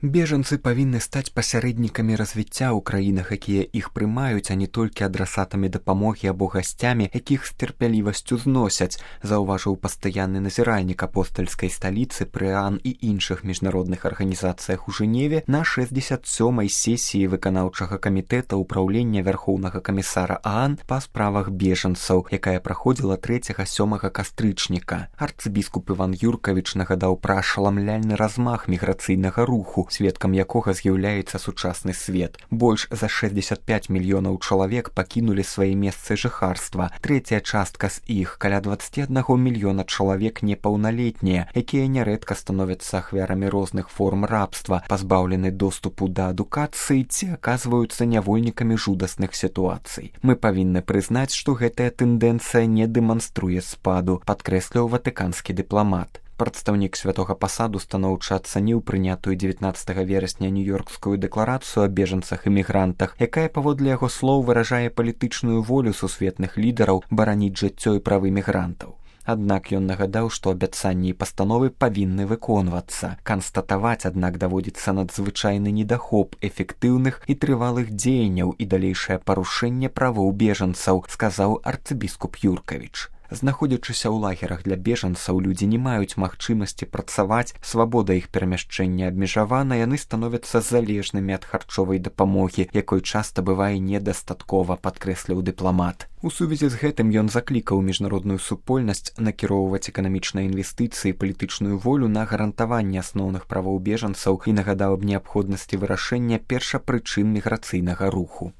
Бежанцы павінны стаць пасярэднікамі развіцця ў краінах, якія іх прымаюць, а не толькі адрасатамі дапамогі або гасцямі, якіх з тэрпялівасцю зносяць, заўважыў пастаянны назіральнік апостальскай сталіцы пры ААН і іншых міжнародных арганізацыях у Жэневе на 67-й сесіі выканаўчага камітэта ўпраўлення Вярхоўнага камісара ААН па справах бежанцаў, якая праходзіла 3-7 кастрычніка. Арцыбіскуп Іван Юркавіч нагадаў пра ашаламляльны размах міграцыйнага руху, сведкам якога з'яўляецца сучасны свет. Больш за 65 мільёнаў чалавек пакінулі свае месцы жыхарства. Трэцяя частка з іх, каля 21 мільёна чалавек непаўналетнія, якія нярэдка становяцца ахвярамі розных форм рабства, пазбаўлены доступу да адукацыі ці аказваюцца нявольнікамі жудасных сітуацый. Мы павінны прызнаць, што гэтая тэндэнцыя не дэманструе спаду, падкрэсліў ватыканскі дыпламат. Прадстаўнік святога пасаду станоўча ацаніў прынятую 19 верасня нью-ёркскую дэкларацыю о бежанцах і мігрантах, якая, паводле яго слоў, выражае палітычную волю сусветных лідараў бараніць жыццё і правы мігрантаў. Аднак ён нагадаў, што абяцанні і пастановы павінны выконвацца. Канстатаваць, аднак, даводзіцца надзвычайны недахоп эфектыўных і трывалых дзеянняў і далейшае парушэнне правоў бежанцаў, сказаў арцыбіскуп Юркавіч. Знаходзячыся ў лагерах для бежанцаў, людзі не маюць магчымасці працаваць, свабода іх перамяшчэння абмежавана, яны становяцца залежнымі ад харчовай дапамогі, якой часта бывае недастаткова, падкрэсліў дыпламат. У сувязі з гэтым ён заклікаў міжнародную супольнасць накіроўваць эканамічныя інвестыцыі і палітычную волю на гарантаванне асноўных правоў бежанцаў і нагадаў аб неабходнасці вырашэння першапрычын міграцыйнага руху.